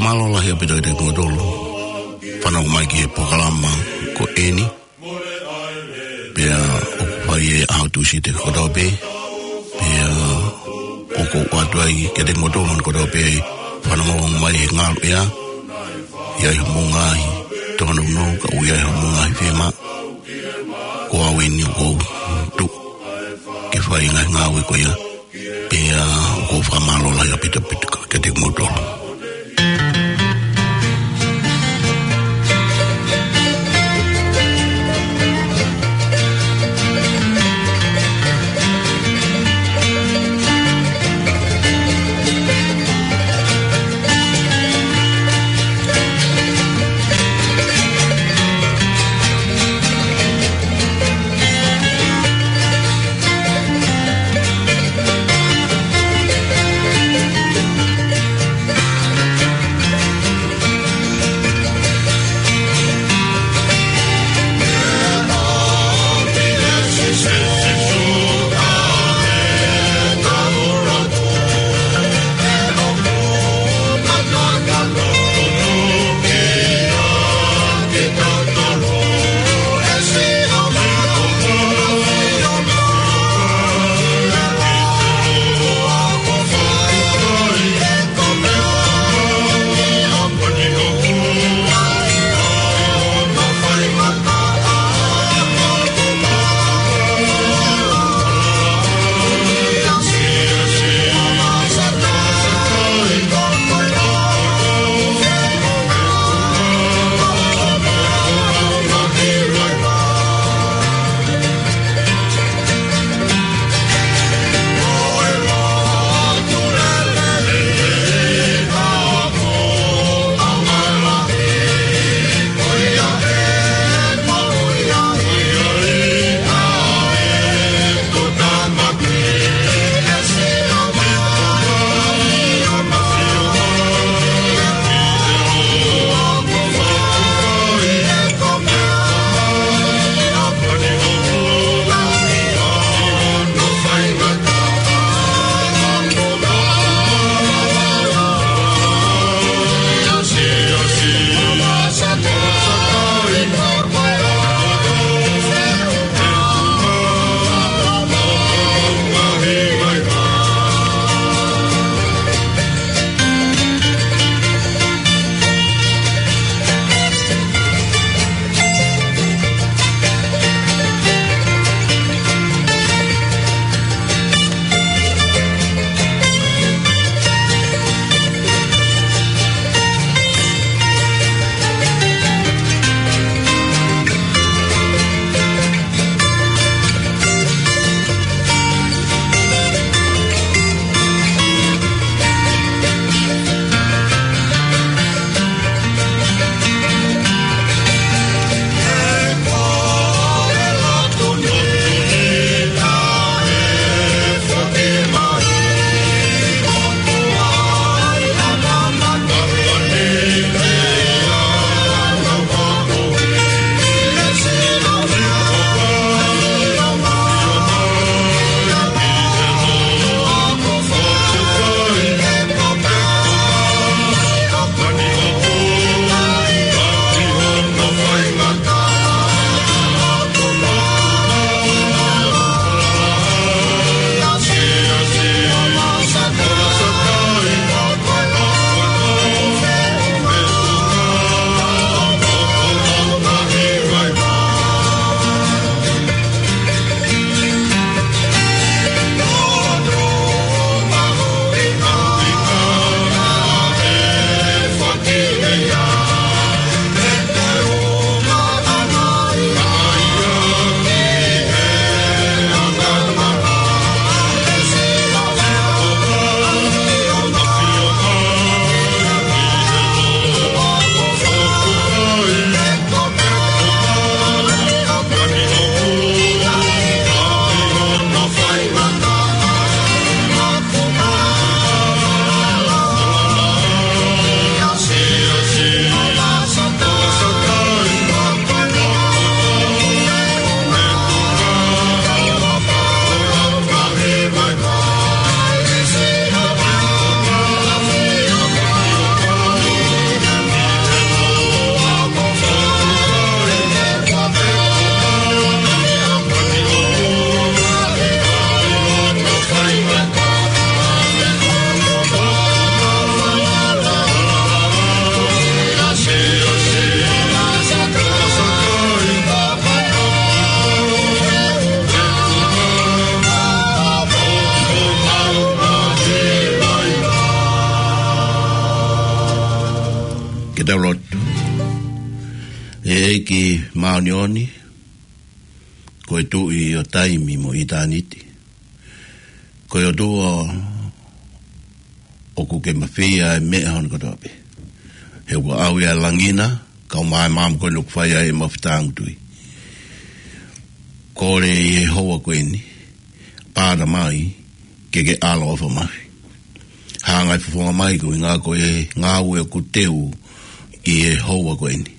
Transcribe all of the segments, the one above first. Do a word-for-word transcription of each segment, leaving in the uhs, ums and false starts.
Mālō lahi ʻaupito kiate kimoutolu fanongo mai ki he polokalama ko eni. Pea ʻoku fai ʻi he ʻaho Tūsite kotoa pē. Pea ʻoku ou ʻoatu ai kiate kimoutolu kotoa pē fanongo mai he ngaluʻea. ʻI ai hoʻomou ngaahi tōnounou, ka ʻoku ʻi ai hoʻomou ngaahi fiemaʻu. Ko au eni ʻoku ou tuʻu ke fai ngaahi ngāue ko ia. Pea ʻoku ou fakamālō lahi ʻaupito ʻaupito kiate kimoutolu. Ke tau lotu. ʻE ʻEiki māʻoniʻoni, ko e Tuʻi ʻo taimi mo ʻitāniti, ko e ʻOtua ʻoku ke mafeia e meʻa hono kotoa pē. He ʻoku ʻau ia ʻa e langi na, kae ʻumaʻā e maama ko eni ʻoku fai ai ʻemau fetāngutuʻi. Kole ʻi he houa ko eni, pāta mai, ke ke ʻaloʻofa mai. Hanga ʻo fofonga mai koeʻuhi ko e ngāue ʻoku teu ʻi he houa ko eni.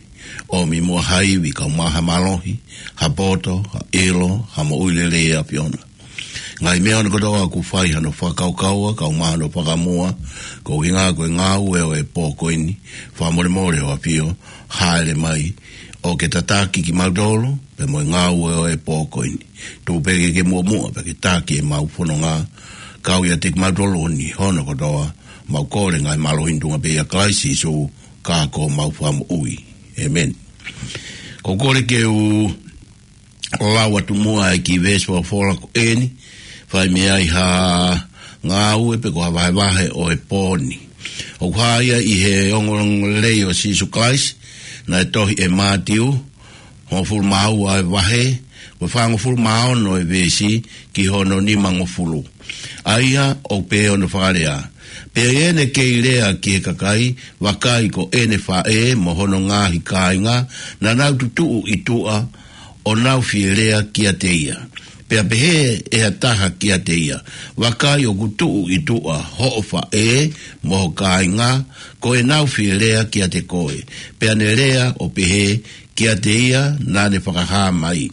ʻOmi muʻa ha ivi kae ʻumaʻā ha mālohi, ha poto, ha ʻilo, ha moʻui lelei ʻa e ʻAfiona. Ngaahi meʻa hono kotoa ʻoku fai hano fakakaukaua, kae ʻumaʻā hano fakamuʻa, koeʻuhi ko e ngāue ʻo e pō ko eni, fakamolemole ʻo ʻAfio, hāʻele mai, ʻo ke tataki kimautolu, pea mo e ngāue ʻo e pō ko eni. Tuku pē ke ke muʻomuʻa, pea ke taki ʻemau fononga, kau ʻiate kimautolu ʻi he ʻaho ni hono kotoa, mau kole ngaahi mālohi ni ʻi he tuʻunga pē ʻia Kalaisi Sīsū, ka ko homau Fakamoʻui. ʻĒmeni. Ko e kole ke u lau atu muʻa e kiʻi veesi folofola ko eni, fai mei ai ha ngāue pe ko ha vahevahe ʻo e pō ni. ʻOku hā ia ʻi he ongoongolelei ʻo Sīsū Kalaisi, naʻe tohi ʻe Mātiu, hongofulu mā ua e vahe, ko e fāngofulu mā ono e veesi ki hono nimangofulu. ʻA ia ʻoku pehē hono fakalea: Pea ʻi heʻene kei lea ki he kakai, vakai ko ʻene faʻē mo hono ngaahi kāinga, naʻa nau tutuʻu ʻi tuʻa, ʻo nau fie lea kiate ia. Pea pehē ʻe ha taha kiate ia, vakai ʻoku tuʻu ʻi tuʻa hoʻo faʻē mo ho kāinga, ko ʻenau fie lea kiate koe. Pea ne lea ʻo pehē kiate ia naʻa ne fakahā mai,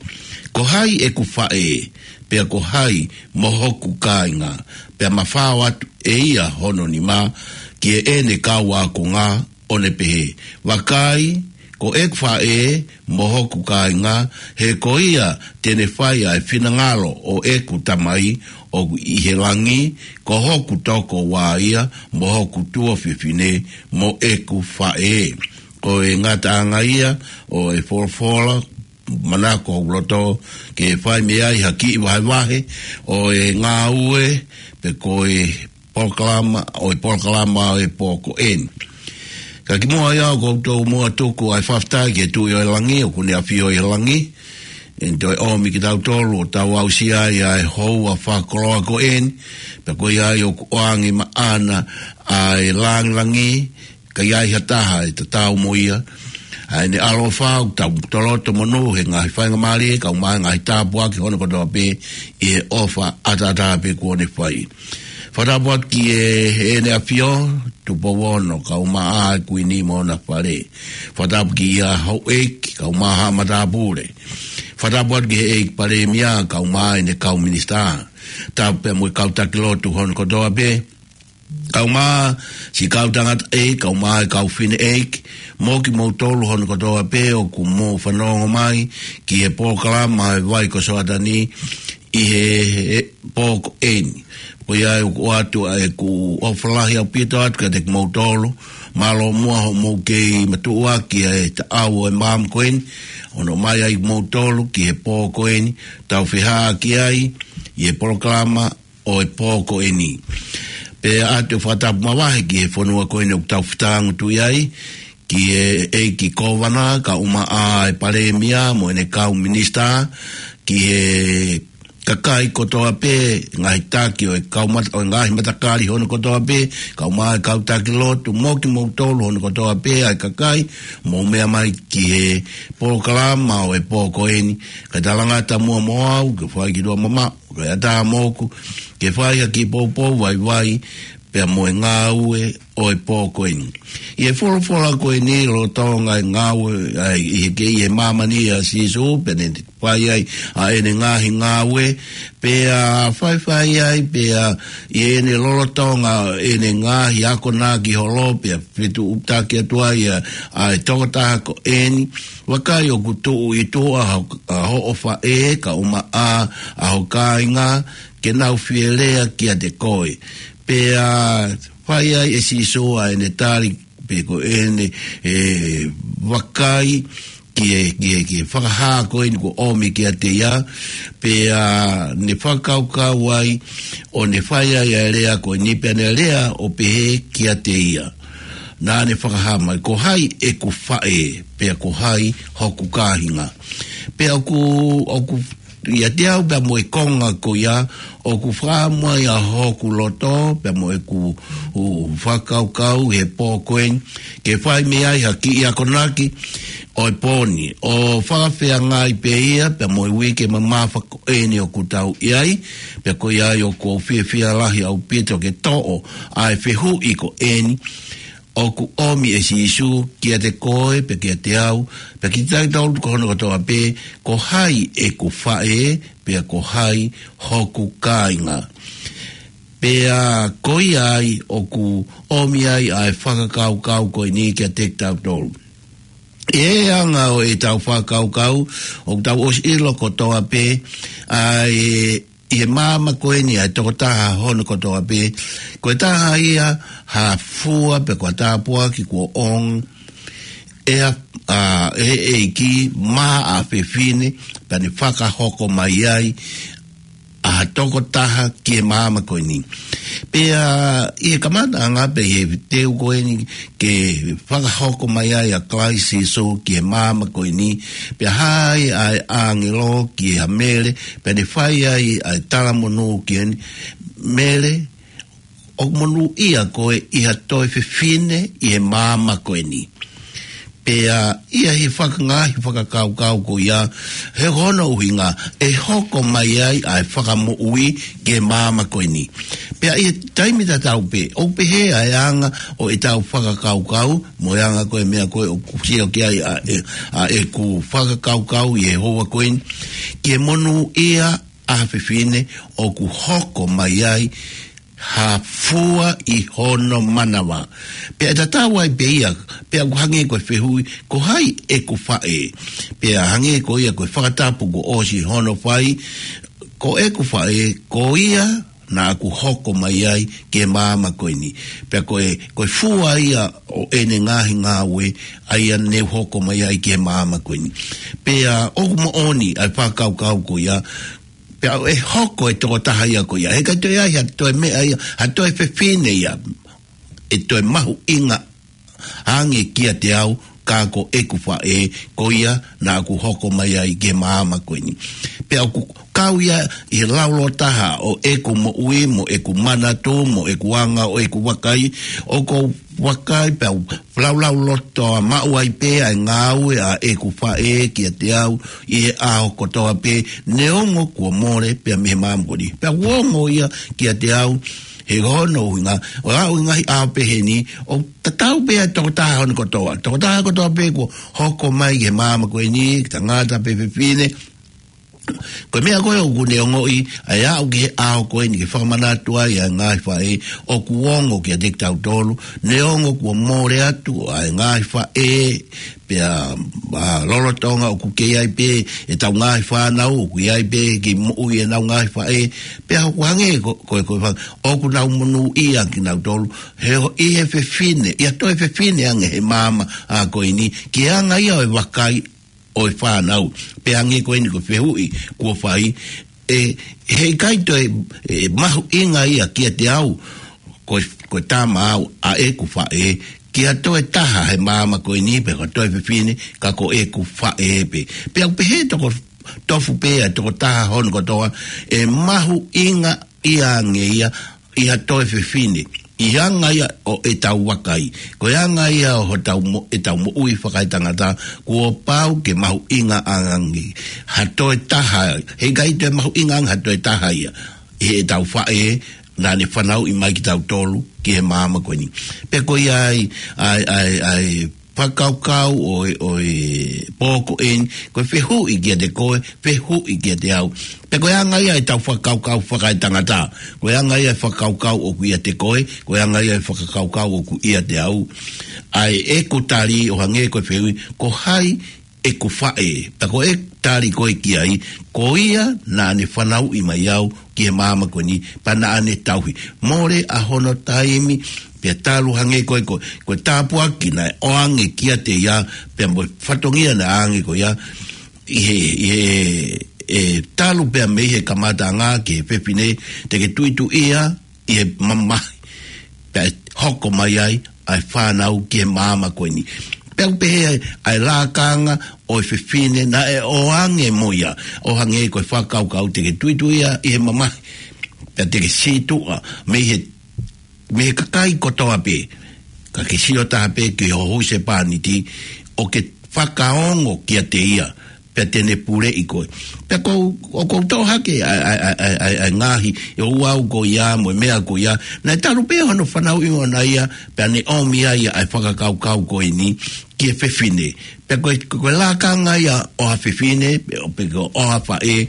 ko hai ʻeku faʻē, pea ko hai mo hoku kāinga? Pea mafao atu ʻe ia hono nima ki heʻene kau ākonga, ʻo ne pehē, vakai, ko ʻeku faʻē mo hoku kāinga, he ko ia te ne fai ʻa e finangalo ʻo ʻeku Tamai ʻoku ʻi he langi, ko hoku tokoua ia, mo hoku tuofefine, mo ʻeku faʻē. Ko e ngataʻanga ia ʻo e folofola, manako hoku loto ke fai mei ai ha kiʻi vahevahe ʻo e ngāue pe ko e polokalama, ʻo e polokalama ʻo e pō ko eni. Ka kimuʻa ia, ʻoku ou tau muʻa tuku ʻa e fakafetaʻi ki he Tuʻi ʻo e langi, ʻoku ne ʻafio ʻi he langi, ʻene toe ʻomi kitautolu ʻo tau aʻusia ai ʻa e houa fakakoloa ko eni, pea ko ia ai ʻoku ʻoange maʻana ʻa e langilangi, ka ʻi ai ha taha ʻe tatau mo ia. ʻA ʻene ʻaloʻofa ʻoku tau lolotonga monū he ngaahi faingamālie, kae ʻumaʻā e ngaahi tāpuaki hono kotoa pē ʻi he ʻofa ʻataʻatā pē kuo ne fai. Fakatapu atu ki he, ʻEne ʻAfio, Tupou Ono, kae ʻumaʻā e Kuini mo hona fale. Fakatapu ki he houʻeiki, kae ʻumaʻā haʻa matāpule. Fakatapu atu ki he ʻEiki Palēmia, kae ʻumaʻā ʻene kau minisitā. Tapu pea mo e kau taki lotu hono kotoa pē, kae ʻumaʻā siʻi kau tangataʻeiki, kae ʻumaʻā e kau fineʻeiki, mo kimoutolu hono kotoa pē ʻoku mou fanongo mai ki he polokalama ʻa e Vai ko Soatani ʻi he, he pō ko eni. Ko ia ai ʻoku ʻoatu ʻa ʻeku ʻofa lahi ʻaupito atu kiate kimoutolu, mālō muʻa hoʻomou kei matuʻuaki ʻa e taʻau ʻo e maama ko eni, ʻo nau ʻomai ai kimoutolu ki he pō ko eni, tau feʻao ki ai ʻi he polokalama ʻo e pō ko eni. Pea ʻoatu e fakatapu mavahe ki he fonua ko eni ʻoku tau fetāngutuʻi ai, ki he ʻEiki Kōvana, kae ʻumaʻā e Palēmia mo ʻene kau minisitā, ki he kakai kotoa pē, ngaahi taki ʻo e kau mat-, ʻo e ngaahi matakali hono kotoa pē, kae ʻumaʻā e kau taki lotu, mo kimoutolu hono kotoa pē ʻa e kakai mou meʻa mai ki he polokalama ʻo e pō ko eni, kae talangata muʻa mo au, ke fai ki tuʻa mamaʻo, kae ʻatā moʻoku ke fai ha kiʻi poupou vaivai pea mo e ngāue ʻo e pō ko eni. ʻI he folofola ko eni lolotonga e ngāue, ʻa e, ʻi he kei ʻi he māmani ʻa Sīsū, pea ne fai ai ʻa ʻene ngaahi ngāue, pea faifai ai, pea ʻi heʻene lolotonga ʻene ngaahi akonaki holo, pea fetuʻutaki atu ai ʻa, ʻa e tokotaha ko eni, vakai ʻoku tuʻu ʻi tuʻa ho-, ʻa hoʻo faʻē, kae ʻumaʻā ʻa ho kāinga, ke nau fie lea kiate koe. Pea fai ai ʻe Sīsū ʻa ʻene tali, pe ko ʻene, ʻe, vakai ki he, ki he, ki he fakahā ko eni kuo ʻomi kiate ia, pea ne fakakaukau ai, ʻo ne fai ai ʻa e lea ko eni, pea ne lea ʻo pehē kiate ia, Naʻa ne fakahā mai, ko hai ʻeku faʻē, pea ko hai hoku kāinga. Pea ʻoku, ʻoku ʻiate au pea mo e konga ko ia, ʻoku fakaʻamu ai ʻa hoku loto, pea mo ʻeku, ʻū fakakaukau he pō ko eni, ke fai mei ai ha kiʻi akonaki ʻo e pō ni, ʻo fakafeangai pē ia pea mo e uike mamafa ko eni ʻoku tau ʻi ai, pea ko ia ai ʻoku ou fiefia lahi ʻaupito ke toʻo ʻa e fehuʻi ko eni, ʻoku ʻomi ʻe Sīsū kiate koe, pea kiate au, pea kiate kitautolu ko hono kotoa pē, ko hai ʻeku faʻē, pea ko hai hoku kāinga. Pea ko ia ai ʻoku ʻomi ai ʻa e fakakaukau ko eni kiate kitautolu. ʻI he anga ʻo ʻetau fakakaukau, ʻoku tau ʻosi ʻilo kotoa pē, ʻa e ʻi he māmani ko eni ʻa e tokotaha hono kotoa pē, ko e taha ia ha fua pe ko ha tāpuaki kuo ʻoange ʻe he, ʻa, ʻe he ʻEiki maʻa ha fefine, pea ne fakahoko mai ai ʻa ha tokotaha ki he māmani ko eni. Pea ʻi he kamataʻanga pē ʻi he teu ko eni ke fakahoko mai ai ʻa Kalaisi Sīsū ki he māmani ko eni, pea hā ai ʻa e ʻāngelo ki he ʻa Mele, pea ne fai ai ʻa e talamonū ki heni, Mele, ʻoku monūʻia koe ʻi ha toe fefine ʻi he māmani ko eni. Pea ʻi he fakangaahi fakakaukau ko ia, he ko hono ʻuhinga ʻe hoko mai ai ʻa e fakamoʻui ki he māmani ko eni. Pea ʻi he taimi tatau pē, ʻoku pehē ʻa e anga ʻo ʻetau fakakaukau, mo e anga ko e meʻa ko ē ʻoku sio ki ai ʻa e, ʻa ʻeku fakakaukau ʻi he houa ko eni, ki he monūʻia ʻa ha fefine ʻoku hoko mai ai ha fua ʻi hono manava. Pea ʻe tatau ai pē ia, pea ʻoku hangē ko e fehuʻi, ko hai ʻeku faʻē. Pea hangē ko ia ko e fakatapu kuo ʻosi hono fai, ko ʻeku faʻē, ko ia naʻa ku hoko mai ai ki he māmani ko eni. Pea ko e, ko e fua ia ʻo ʻene ngaahi ngāue, ʻa ia ne u hoko mai ai ki he māmani ko eni. Pea ʻoku moʻoni ʻa e fakakaukau ko ia, pea ʻe hoko e tokotaha ia ko ia. He ʻikai toe ʻi ai ha toe meʻa ia, ha toe fefine ia ʻe toe mahuʻinga ange kiate au, ka ko ʻeku faʻē, ko ia naʻa ku hoko mai ai ki he māmani ko eni. Pea ʻoku kau ia ʻi he laulōtaha ʻo ʻeku moʻui, mo ʻeku manatu, mo ʻeku anga ʻo ʻeku vakai, ʻoku ou vakai pea u laulau loto ʻa maʻu ai pē ʻa e ngāue ʻa ʻeku faʻē kiate au ʻi he ʻaho kotoa pē, neongo kuo mole pea mei he māmani ko eni. Pea ʻoku ongo ia kiate au, he ko hono ʻuhinga, ʻo aʻu ʻi he ngaahi ʻaho pehē ni, ʻoku tatau pē ʻa e tokotaha hono kotoa. Tokotaha kotoa pē kuo hoko mai ki he māmani ko eni, tangata pe fefine, ko e meʻa ko ē ʻoku ne ongoʻi, ʻa e aʻu ki he ʻaho ko eni ke fakamanatu ai ʻa e ngaahi faʻē, ʻoku ongo kiate kitautolu, neongo kuo mole atu ʻa e ngaahi faʻē, pea, ʻa, lolotonga ʻoku kei ʻi ai pē ʻetau ngaahi fānau, ʻoku ʻi ai pē ke moʻui ʻenau ngaahi faʻē, pea ʻoku hangē ko, ko, ko e fa-, ʻoku nau monūʻia kinautolu, he ʻi he fefine, ʻi ha toe fefine ange he māmani ko eni, ki he anga ia ʻo e vakai ʻo e fānau. Pea hangē ko eni ko e fehuʻi kuo fai, ʻe, he ʻikai toe, ʻe, mahuʻinga ia kiate au, ko, ko e tama au ʻa ʻeku faʻē, ki ha toe taha he māmani ko eni pe ko e toe fefine, ka ko ʻeku faʻē pē. Pea ʻoku pehē toko tofu pē ʻa e tokotaha hono kotoa, ʻe mahuʻinga ia ange ia, ʻi ha toe fefine, ʻi he anga ia ʻo ʻetau vakai. Ko e anga ia ʻo hotau mo-, ʻetau moʻui fakaetangata, kuo pau ke mahuʻinga ange ha toe taha, he ʻikai toe mahuʻinga ange ha toe taha ia, ʻi heʻetau faʻē, naʻa ne fanauʻi mai kitautolu ki he māmani ko eni. Pea ko ia ai, ʻa e, ʻa e, ʻa e, fakakaukau ʻo e, ʻo e pō ko eni, ko e fehuʻi kiate koe, fehuʻi kiate au. Pea ko e anga ia ʻetau fakakaukau fakaetangata, ko e anga ia e fakakaukau ʻoku ʻiate koe, ko e anga ia e fakakaukau ʻoku ʻiate au. ʻA e ʻeku tali ʻo hangē ko e fehuʻi, ko hai ʻeku faʻē, pea ko e tali ko ē ki ai, ko ia naʻa ne fanauʻi mai au ki he māmani ko eni, pea naʻa ne tauhi. Mole ʻa hono taimi, pea talu hangē ko e, ko, ko e tāpuaki naʻe ʻoange kiate ia, pea mo e fatongia naʻe ʻoange ko ia, ʻi he, ʻi he, ʻe talu pea mei he kamataʻanga ki he fefine, te ke tuʻituʻia ʻi he mamahi, pea ʻe hoko mai ai ʻa e fānau ki he māmani ko eni. Pea ʻoku pehē ai ʻa e lakanga ʻo e fefine naʻe ʻoange mo ia, ʻo hangē ko e fakakaukau te ke tuitui ia ʻi he mamahi, pea te ke sītuʻa mei he, mei he kakai kotoa pē, ka ke sio taha pē ki ho husepāniti, ʻo ke fakaongo kiate ia, pea te ne puleʻi koe. Pea ʻoku ou, ʻoku ou toʻo hake ʻa e, ʻa e, ʻa e, ʻa e, ʻa e ngaahi, ʻe ua au ko ia, mo e meʻa ko ia. Naʻe talu pē hono fanauʻi ʻona ia, pea ne ʻomi ai ʻa e fakakaukau ko eni ki he fefine. Pea ko e, ko e lakanga ia ʻo ha fefine, pe, pe ko ha faʻē,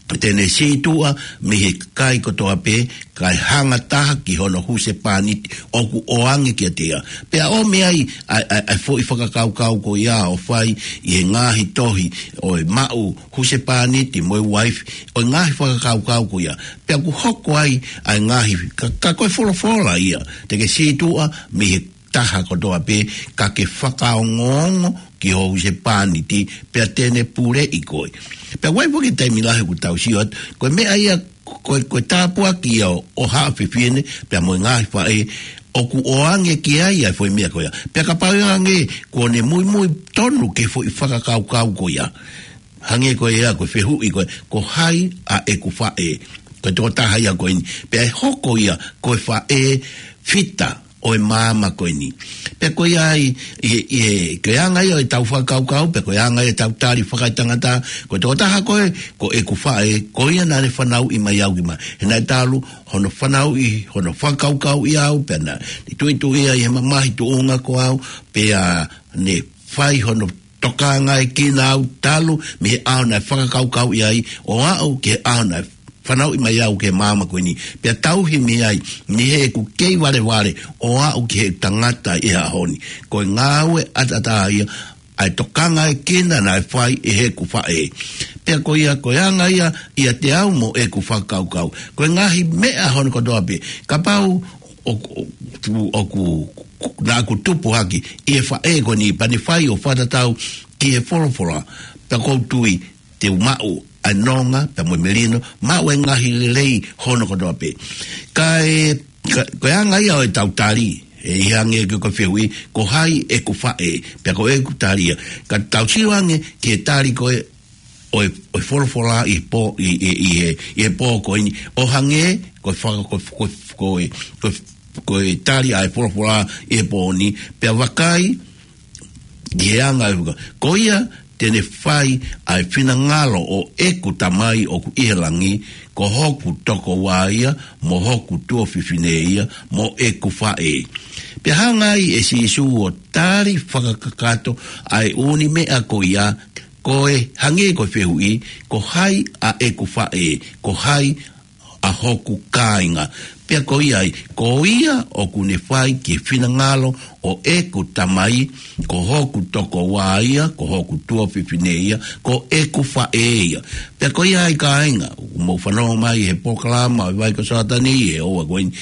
te ne sītuʻa mei he kakai kotoa pē, kae hanga taha ki hono husepāniti ʻoku ʻoange kiate ia. Pea ʻomi ai ʻa e, ʻa e, ʻa e foʻi fakakaukau ko ia ʻo fai ʻi he ngaahi tohi ʻo e maʻu husepāniti mo e uaifi, ʻo e ngaahi fakakaukau ko ia. Pea ʻoku hoko ai ʻa e ngaahi, ka, ka ko e folofola ia, te ke sītuʻa mei he taha kotoa pē, ka ke fakaongoongo ki ho husepāniti, pea te ne puleʻi koe. Pea ʻoku ʻi ai foki e taimi lahi ʻoku tau sio atu, ko e meʻa ia, ko e, ko e tāpuaki ia ʻo, ʻo ha fefine, pea mo e ngaahi faʻē, ʻoku ʻoange ki ai ʻa e foʻi meʻa ko ia. Pea kapau ʻe hangē kuo ne muimui tonu ki he foʻi fakakaukau ko ia, hangē ko ia ko e fehuʻi ko ē, ko hai ʻa ʻeku faʻē? Ko e tokotaha ia ko eni. Pea ʻe hoko ia ko e faʻē fita ʻo e māmani ko eni. Pea ko ia ai, ʻi he, ʻi he, ko e anga ia ʻo ʻetau fakakaukau, pea ko e anga ia ʻetau tali fakaetangata, ko e tokotaha ko ē, ko ʻeku faʻē, ko ia naʻa ne fanauʻi mai au ki māmani. He naʻe talu hono fanauʻi, hono fakakaukauʻi au, pea naʻa ne tuitui ia ʻi he mamahi tuʻunga ko au, pea ne fai hono tokangaekina au talu mei he ʻaho naʻe fakakaukauʻi ai, ʻo aʻu ki he ʻaho naʻe fanauʻi mai au ki he māmani ko eni. Pea tauhi mei ai, mei heʻeku kei valevale, ʻo aʻu ki he tangata ʻi he ʻaho ni. Ko e ngāue ʻataʻatā ia ʻa e tokangaekina naʻe fai ʻe heʻeku faʻē. Pea ko ia, ko e anga ia ʻiate au mo ʻeku fakakaukau. Ko e ngaahi meʻa hono kotoa pē, kapau ʻoku, ʻoku, ʻoku, naʻa ku tupu hake ʻi he faʻē ko eni, pea ne fai ʻo fakatatau ki he folofola, pea ʻoku ou tui te u maʻu ʻa e nonga, pea mo e melino, maʻu e ngaahi lelei hono kotoa pē. Ka e, ka, ko e anga ia ʻo ʻetau tali, ʻe ʻi ai ange ko e, ko e fehuʻi, ko hai ʻeku faʻē, pea ko ʻeku tali ia. Ka tau sio ange ki he tali ko ē ʻo e, ʻo e folofola ʻi he pō, ʻi, ʻi, ʻi he, ʻi he pō ko eni, ʻo hangē ko e faka-, ko, ko, ko e, ko, ko e tali ʻa e folofola ʻi he pō ni, pea vakai, ʻi he anga ʻo e faka-, ko ia te ne fai ʻa e finangalo ʻo ʻeku Tamai ʻoku ʻi he langi, ko hoku tokoua ia, mo hoku tuofefine ia, mo ʻeku faʻē. Pea hanga ai ʻe Sīsū ʻo tali fakakakato ʻa e ʻū meʻa ko ia, ko e hangē ko e fehuʻi, ko hai ʻa ʻeku faʻē, ko hai ʻa hoku kāinga. Pea ko ia ai, ko ia ʻoku ne fai ki he finangalo ʻo ʻeku Tamai, ko hoku tokoua ia, ko hoku tuofefine ia, ko ʻeku faʻē ia. Pea ko ia ai kāinga, ʻoku mou fanongo mai he polokalama ʻo e vai ko Sātani, he ʻoua ko eni,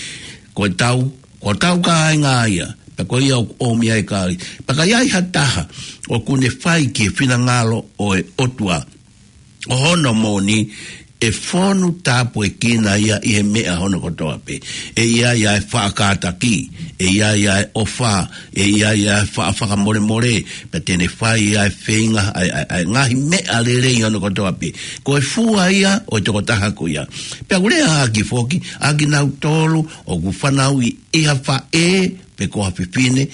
ko e tau, ko e tau kāinga ia. Pea ko ia ʻoku ʻomi ai kāinga. Pea ka ʻi ai ha taha ʻoku ne fai ki he finangalo ʻo e ʻOtua, ʻo hono moʻoni, ʻe fonu tāpuekina ia ʻi he meʻa hono kotoa pē. ʻE ʻi ai ʻa e faʻa kātaki, ʻe ʻi ai ʻa e ʻofa, ʻe ʻi ai ʻa e faʻa fakamolemole, pea te ne fai ʻa e feinga, ʻa e, ʻa e, ʻa e ngaahi meʻa lelei hono kotoa pē. Ko e fua ia ʻo e tokotaha ko ia. Pea ʻoku lea ʻaki foki, ʻa kinautolu ʻoku fanauʻi ʻi ha faʻē, pe ko ha fefine,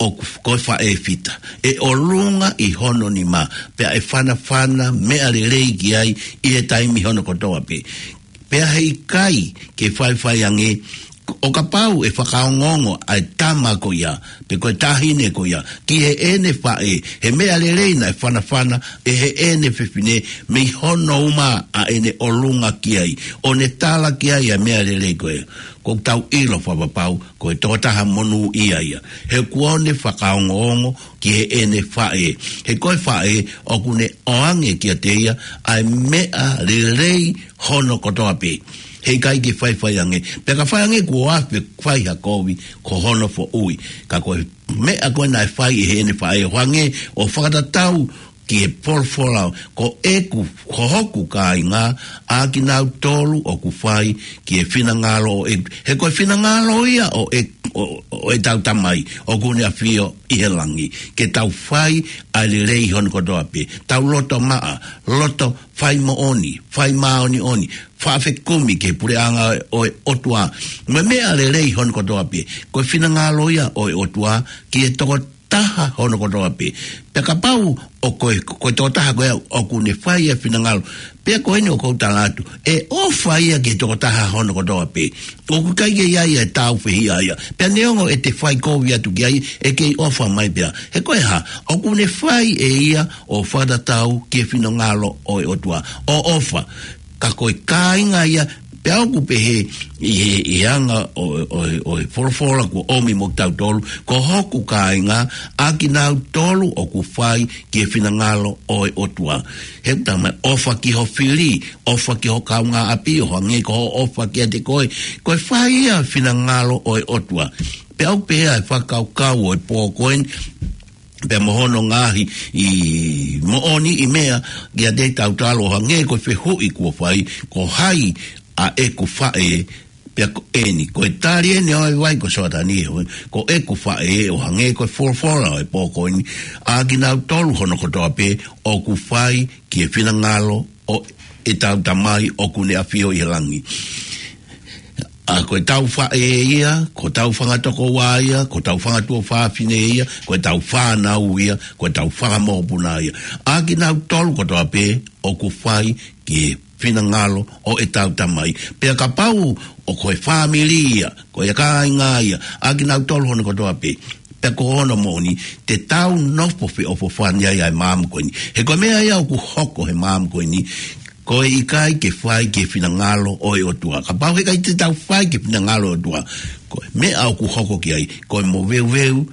ʻoku f-, ko e faʻē fita. ʻE ʻolunga ʻi hono nima, pea ʻe fanafana meʻa lelei ki ai ʻi he taimi hono kotoa pē. Pea heʻikai ke faifai ange, ʻo kapau ʻe fakaongoongo ʻa e tama ko ia, pe ko e taʻahine ko ia, ki heʻene faʻē, he meʻa lelei naʻe fanafana ʻe heʻene fefine, mei hono uma ʻa ʻene ʻolunga ki ai, ʻo ne tala ki ai ʻa e meʻa lelei ko ē. ʻOku tau ʻilo fakapapau, ko e tokotaha monūʻia ia. He kuo ne fakaongoongo ki heʻene faʻē. He ko e faʻē ʻoku ne ʻoange kiate ia ʻa e meʻa lelei hono kotoa pē. Heʻikai ke faifai ange. Pea ka fai ange kuo afe fai ha kovi ko hono foʻui. Ka ko e meʻa ko ē naʻe fai ʻe heʻene faʻē ʻo hangē ʻo fakatatau ki he folofola, ko ʻeku, ko hoku kāinga, ʻa kinautolu ʻoku fai ki he finangalo ʻo e, he ko e finangalo ia ʻo e, ʻo, ʻo ʻetau Tamai ʻoku ne ʻafio ʻi he langi. Ke tau fai ʻa e lelei hono kotoa pē. Tau loto maʻa, loto fai moʻoni, fai māʻoniʻoni, faʻa fekumi ki he puleʻanga ʻo e ʻOtua. Mo e meʻa lelei hono kotoa pē. Ko e finangalo ia ʻo e ʻOtua ki he tokotaha hono kotoa pē. Pea kapau ʻoku, ko e tokotaha ko ia ʻoku ne fai e finangalo, pea ko eni ʻoku ou tala atu, ʻe ʻofa ia ki he tokotaha hono kotoa pē. ʻOku ʻikai ke ʻi ai e tāufehiʻa ia. Pea neongo ʻete fai kovi atu ki ai, ʻe kei ʻofa mai pē ia. He ko e hā, ʻoku ne fai ʻe ia ʻo fakatatau ki he finangalo ʻo e ʻOtua. ʻO ʻofa. Ka ko e kāinga ia, pea ʻoku pehē ʻi he, ʻi he anga ʻo, ʻo, ʻo e folofola kuo ʻomi mo kitautolu, ko hoku kāinga, ʻa kinautolu ʻoku fai ki he finangalo ʻo e ʻOtua. He ʻoku talamai, ʻofa ki ho fili, ʻofa ki ho kaungāʻapi, ʻo hangē ko hoʻo ʻofa kiate koe. Ko e fai ia finangalo ʻo e ʻOtua. Pea ʻoku pehē ʻa e fakakaukau ʻo e pō ko eni, pea mo hono ngaahi ʻi moʻoni ʻi meʻa, kiate kitautolu ʻo hangē ko e fehuʻi kuo fai, ko hai ʻa ʻeku faʻē, pea ko eni, ko e tali eni ʻo e vai ko Soatani, ko ʻeku faʻē ʻo hangē ko e folofola ʻo e pō ko eni, ʻa kinautolu hono kotoa pē ʻoku fai ki he finangalo ʻo ʻetau Tamai ʻoku ne ʻafio ʻi he langi. ʻA ko ʻetau faʻē ia, ko ʻetau fanga tokoua ia, ko ʻetau fanga tuofāfine ia, ko ʻetau fānau ia, ko ʻetau fanga mokopuna ia. ʻA kinautolu kotoa pē ʻoku fai ki he finangalo ʻo ʻetau Tamai. Pea kapau ʻoku ko e fāmili ia, ko e kāinga ia, ʻa kinautolu hono kotoa pē. Pea ko hono moʻoni, te tau nofo feʻofoʻofani ai ʻa e maama ko eni. He ko e meʻa ia ʻoku hoko he maama ko eni, ko e ʻikai ke fai ki he finangalo ʻo e ʻOtua. Kapau he ʻikai te tau fai ki he finangalo ʻo e ʻOtua, ko e meʻa ʻoku hoko ki ai, ko e moveuveu,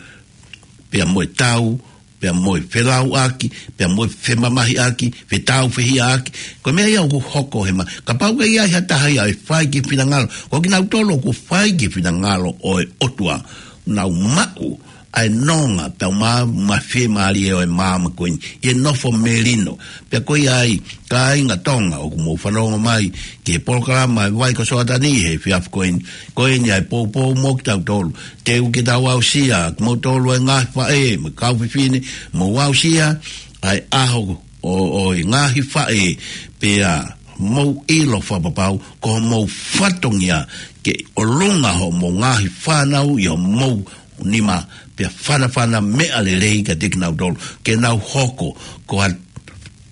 pea mo e tau, pea mo e felauʻaki, pea mo e femamahiʻaki, fetāufehiʻaki. Ko e meʻa ia ʻoku hoko he ma-, kapau ʻe ʻi ai ha taha ia ʻe fai ki he finangalo, ko kinautolu ʻoku fai ki he finangalo ʻo e ʻOtua, nau maʻu ʻa e nonga, pea ma-, mo e fiemālie ʻo e maama ko eni, ʻi he nofo melino. Pea ko ia ai, kāinga Tonga, ʻoku mou fanongo mai ki he polokalama ʻa e vai ko Soatani he efiafi ko eni, ko eni ʻa e poupou mo kitautolu. Teu ke tau aʻusia, kimoutolu ʻa e ngaahi faʻē, mo e kau fefine, mou aʻusia ʻa e ʻaho ʻo, ʻo e ngaahi faʻē, pea mou ʻilo fakapapau, ko hoʻomou fatongia ke ʻolunga hoʻomou ngaahi fānau ʻi hoʻomou nima, pea fanafana meʻa lelei kiate kinautolu, ke nau hoko ko ha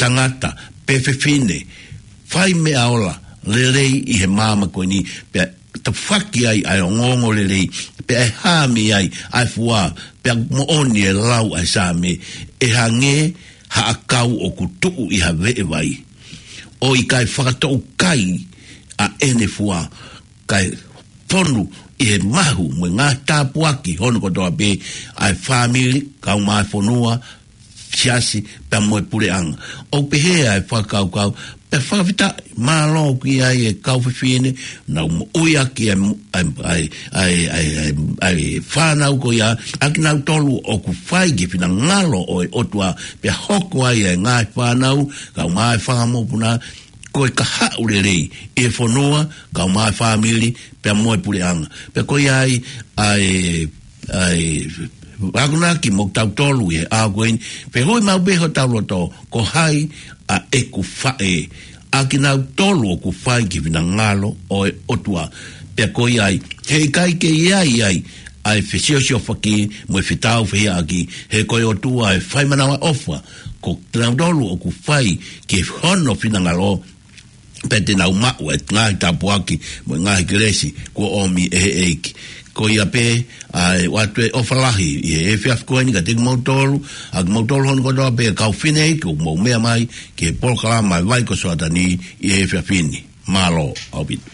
tangata pe fefine fai meʻa ola lelei ʻi he maama ko eni, pea tafoki ai ʻa e ongoongolelei, pea ʻe hā mei ai ʻa e fua, pea moʻoni e lau ʻa e Saame, ʻe hangē ha ʻakau ʻoku tuʻu ʻi ha veʻe vai, ʻo ʻikai fakatoʻukai ʻa ʻene fua, kae fonu ʻi he mahu mo e ngaahi tāpuaki hono kotoa pē ʻa e fāmili, kaeʻumaʻā e fonua, siasi, pea mo e puleʻanga. ʻOku pehē ʻa e fakakaukau, pea fakafetaʻi, mālō ki ai e kau fefine, nau moʻui ʻaki ʻa e, ʻa e, ʻa e fānau ko ia, ʻa kinautolu ʻoku fai ki he finangalo ʻo e ʻOtua, pea hoko ai ʻa e ngaahi fānau, kaeʻumaʻā e fanga mokopuna, ko e kahaʻu lelei ʻi he fonua, kaeʻumaʻā e fāmili, pea mo e puleʻanga. Pea ko ia ai, ʻa e, ʻa e akonaki mo kitautolu ʻi he ʻaho ko eni, fehuʻi maʻu pē hotau loto, ko hai ʻa ʻeku faʻē, ʻa kinautolu ʻoku fai ki he finangalo ʻo e ʻOtua. Pea ko ia ai, he ʻikai ke ʻi ai ai ʻa e fesiosiofaki mo e fetāufehiʻaki, he ko e ʻOtua ʻe fai manavaʻofa, ko kinautolu ʻoku fai ki hono finangalo, pea te nau maʻu e ngaahi tāpuaki mo e ngaahi kelesi kuo ʻomi ʻe he ʻEiki. Ko ia pē, ʻa e ʻoatu e ʻofa lahi ʻi he efiafi ko eni kiate kimoutolu, ʻa kimoutolu hono kotoa pē kau fefine ʻoku mou meʻa mai ki he polokalama ʻa e vai ko Soatani ʻi he efiafi ni. Mālō ʻaupito.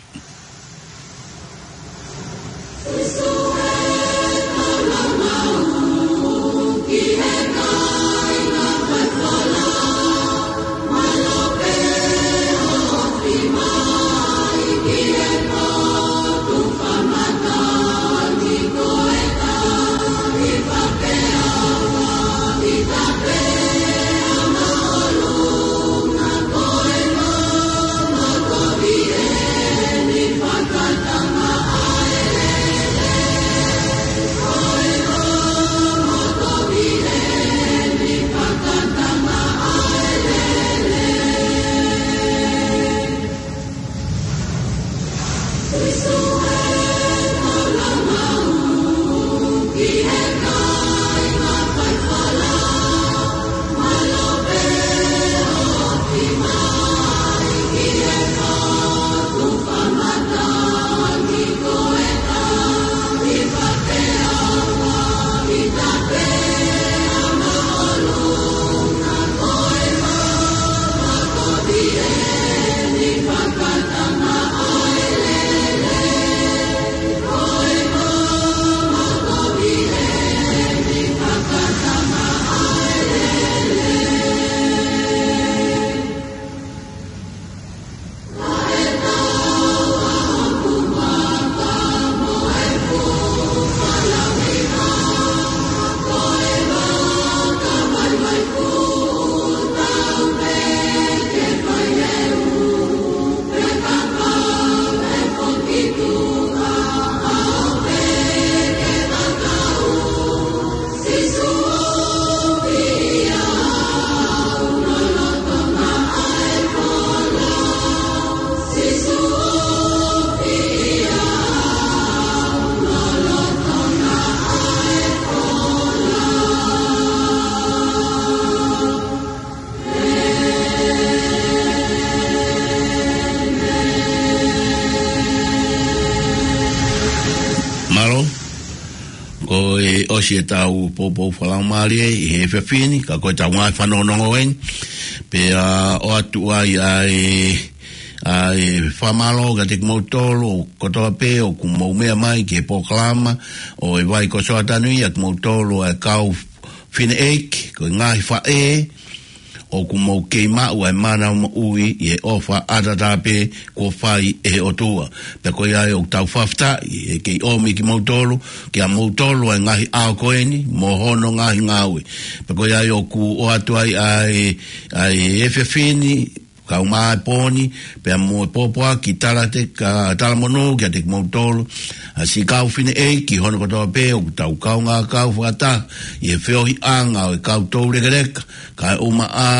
ʻOsi ʻetau poupou fakalaumālie ʻi he efiafi ni, ka ko ʻetau ngaahi fanongonongo eni. Pea ʻoatu ai ʻa e, ʻa e fakamālō kiate kimoutolu kotoa pē ʻoku mou meʻa mai ki he polokalama ʻo e Vai ko Soatani, ʻa kimoutolu ʻa e kau fineʻeiki, ko e ngaahi faʻē, ʻoku mou kei maʻu ʻa e mana moʻui ʻi he ʻofa ʻataʻatā pē kuo fai ʻe he ʻOtua. Pea ko ia ai ʻoku tau fakafetaʻi ʻe kei ʻomi kimoutolu, kiate kimoutolu ʻa e ngaahi ʻaho ko eni, mo hono ngaahi ngāue. Pea ko ia ai ʻoku ʻoatu ai ʻa e, ʻa e efiafi ni, kae ʻumaʻā e pō ni, pea mo e pōpoaki talate-, ka talamonū kiate kimoutolu ʻa siʻi kau fineʻeiki hono kotoa pē ʻoku tau kaungā kau fakataha ʻi he feohiʻanga ʻo e kau toulekeleka, kae ʻumaʻā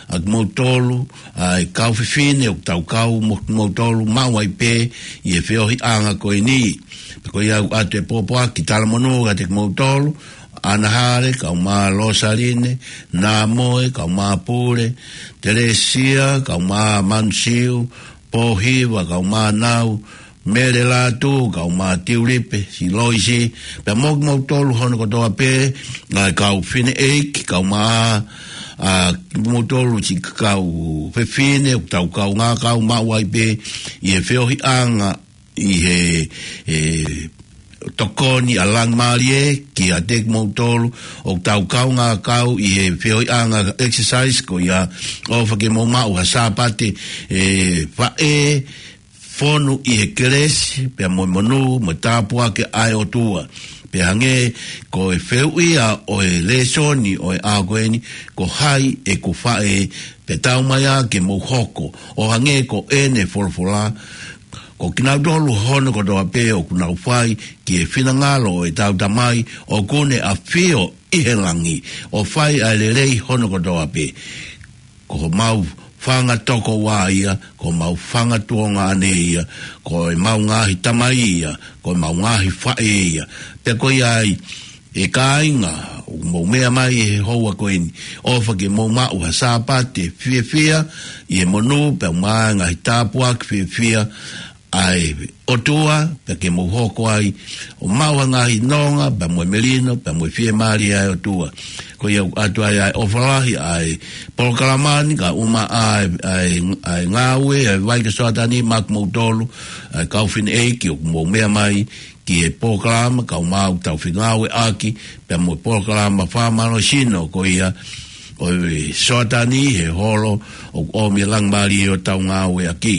ʻa kimoutolu ʻa e kau fefine ʻoku tau kau mo kimoutolu maʻu ai pē ʻi he feohiʻanga ko eni. Pea ko ia ʻoku ʻoatu e pōpoaki talamonū kiate kimoutolu, ʻAna Hale, kae ʻumaʻā Losaline, Namoe, kae ʻumaʻā Pule, Telesia, kae ʻumaʻā Manusiu, Pōhiva, kae ʻumaʻā Nau, Mele Lātū, kae ʻumaʻā Tiulipe, siʻi Loisi, pea mo kimoutolu hono kotoa pē, ʻa e kau fineʻeiki, kae ʻumaʻā, ʻa kimoutolu siʻi kau fefine, ʻoku tau kaungā kau maʻu ai pē ʻi he feohiʻanga ʻi he, e, tokoni ʻa Langimālie kiate kimoutolu ʻoku tau kaungā kau ʻi he feohiʻanga exercise ko ia, ʻofa ke mou maʻu ha Sāpate, e, faʻē, fonu ʻi he kelesi, pea mo e monū, mo e tāpuaki ʻa e ʻOtua. Pea hangē ko e fehuʻi ia ʻo e lēsoni ʻo e ʻaho ko eni, ko hai ʻeku faʻē, pea taumaiā ke mou hoko ʻo hangē ko ʻene folofola, ko kinautolu hono kotoa pē ʻoku nau fai ki he finangalo ʻo ʻetau Tamai ʻoku ne ʻafio ʻi he langi, ʻo fai ʻa e lelei hono kotoa pē. Ko homau fanga tokoua ia, ko homau fanga tuongaʻane ia, ko ʻemau ngaahi tamai ia, ko ʻemau ngaahi faʻē ia. Pea ko ia ai, ʻe kāinga, ʻoku mou meʻa mai he houa ko eni, ʻofa ke mou maʻu ha Sāpate fiefia ʻi he monū, pea mo e ngaahi tāpuaki fiefia ʻa e ʻOtua, pea ke mou hoko ai ʻo maʻu ha ngaahi nonga, pea mo e melino, pea mo e fiemālie ʻa e ʻOtua. Ko ia ʻoku ʻoatu ai ʻa e ʻofa lahi ʻa e polokalama ni, kae ʻumaʻā ʻa e, ʻa e, ʻa e ngāue ʻa e Vai ko Soatani maʻa kimoutolu, ʻa e kau fineʻeiki ʻoku mou meʻa mai ki he polokalama, kae ʻumaʻā ʻoku tau fengāueʻaki pea mo e polokalama fakamālohisino ko ia ʻo e Soatani he holo ʻoku ʻomi ʻe Langimālie ʻo tau ngāueʻaki.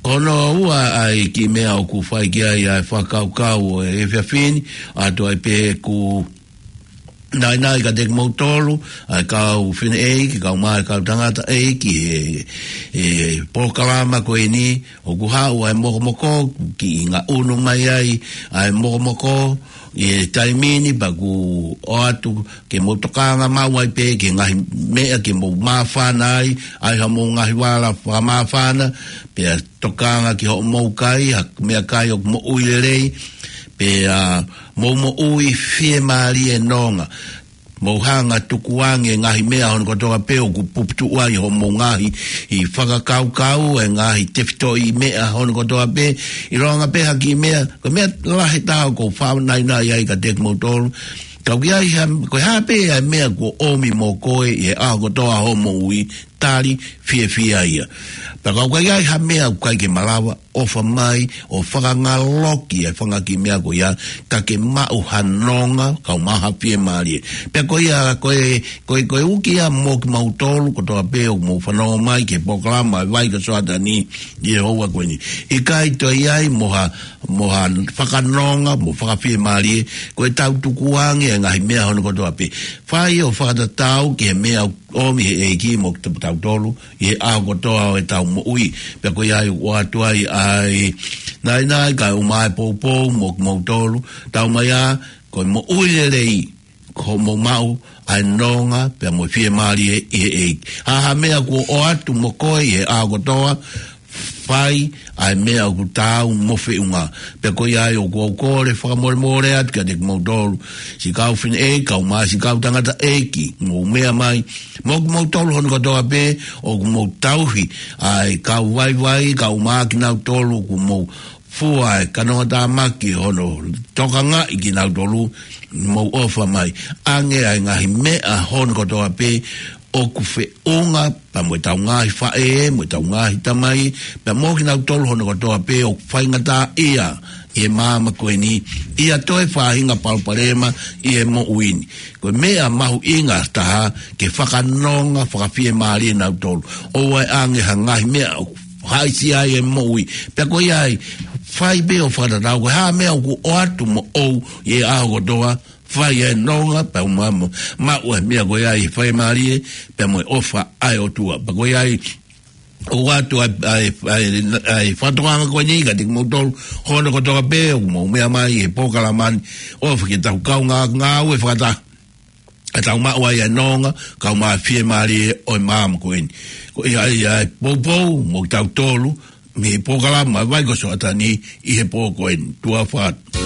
Ko hono ua ʻa e kiʻi meʻa ʻoku fai ki ai ʻa e fakakaukau ʻo e efiafi ni, ʻoatu ai pē ʻeku naʻinaʻi kiate kimoutolu, ʻa e kau fineʻeiki, kae ʻumaʻā e kau tangataʻeiki he, he polokalama ko eni, ʻoku haʻu ʻa e mokomoko, kiʻi ngaʻunu mai ai ʻa e mokomoko ʻi he taimi ni, pea ʻoku ʻoatu ke mou tokanga maʻu ai pē ki he ngaahi meʻa ke mou māfana ai, ʻai haʻamou ngaahi vala fakamāfana, pea tokanga ki hoʻomou kai ha meʻakai ʻoku moʻui lelei, pea mou moʻui fiemālie nonga. Mou hanga tukuange ngaahi meʻa hono kotoa pē ʻoku puputuʻu ai hoʻomou ngaahi fakakaukau, e ngaahi tefitoʻi meʻa hono kotoa pē, ʻilonga pē ha kiʻi meʻa, ko e meʻa lahi taha ʻoku ou faʻa naʻinaʻi ai kiate kimoutolu. Ka ʻoku ʻi ai ha, ko e hā pē ʻa e meʻa kuo ʻomi mo koe ʻi he ʻaho kotoa hoʻo moʻui, tali fiefia ia. Pea ka ʻoku ʻi ai ha meʻa ʻoku ʻikai ke malava, ʻofa mai ʻo fakangaloki e fanga kiʻi meʻa ko ia, ka ke maʻu ha nonga, kae ʻumaʻā ha fiemālie. Pea ko ia, ko e, ko e, ko e uki ia mo kimautolu kotoa pē ʻoku mou fanongo mai ki he polokalama ʻa e Vai ko Soatani ʻi he houa ko eni. ʻIkai toe ʻi ai mo ha, mo ha fakanonga, mo fakafiemālie, ko ʻetau tukuange e ngaahi meʻa hono kotoa pē. Fai ʻo fakatatau ki he meʻa ʻoku ʻomi ʻe he ʻEiki mo kitautolu ʻi he ʻaho kotoa ʻo ʻetau moʻui. Pea ko ia ai ʻoku ʻoatu ai ʻa e naʻinaʻi kae ʻumaʻā e poupou mo kimoutolu, taumaiā, ko e moʻui lelei, ko hoʻomou maʻu ʻa e nonga pea mo e fiemālie ʻi he ʻEiki. Ha ha meʻa kuo ʻoatu mo koe ʻi he ʻaho kotoa, fai ʻa e meʻa ʻoku taau mo feʻunga. Pea ko ia ai ʻoku ou kole fakamolemole atu kiate kimoutolu, siʻi kau fineʻeiki, kae ʻumaʻā siʻi kau tangataʻeiki, mou meʻa mai, mo kimoutolu hono kotoa pē ʻoku mou tauhi ʻa e kau vaivai, kae ʻumaʻā kinautolu ʻoku mou fua e kanoa tāmaki hono tokangaʻi kinautolu, mou ʻofa mai. ʻAnge ʻa e ngaahi meʻa hono kotoa pē ʻoku feʻunga, pea mo ʻetau ngaahi faʻē, mo ʻetau ngaahi tamai, pea mo kinautolu hono kotoa pē ʻoku faingataʻaʻia ʻi he māmani ko eni, ʻi ha toe faʻahinga palopalema ʻi he moʻui ni. Ko e meʻa mahuʻinga taha ke fakanonga, fakafiemālie nautolu. ʻOua ʻe ʻange ha ngaahi meʻa ʻoku haʻisia ai e moʻui. Pea ko ia ai, fai pē ʻo fakatatau, ko e hā e meʻa ʻoku ʻoatu moʻou ʻi he ʻaho kotoa, fai e nonga, pea u maʻu, maʻu e meʻa ko ia ʻi he fiemālie, pea mo e ʻofa ʻa e ʻOtua. Pea ko ia ai, ʻoatu ʻa e, ʻa e, ʻa e, ʻa e fakatokanga ko eni kiate kimoutolu hono kotoa pē ʻoku mou meʻa mai he polokalama ni, ʻofa ke tau kaungā, ngāue fakataha, ʻa tau maʻu ai e nonga, kae ʻumaʻā e fiemālie ʻo e māmani ko eni. Ko ia ai ʻa e poupou mo kitautolu mei he polokalama Vai ko Soʻatani ʻi he pō ko eni. Tuʻa ʻofa atu.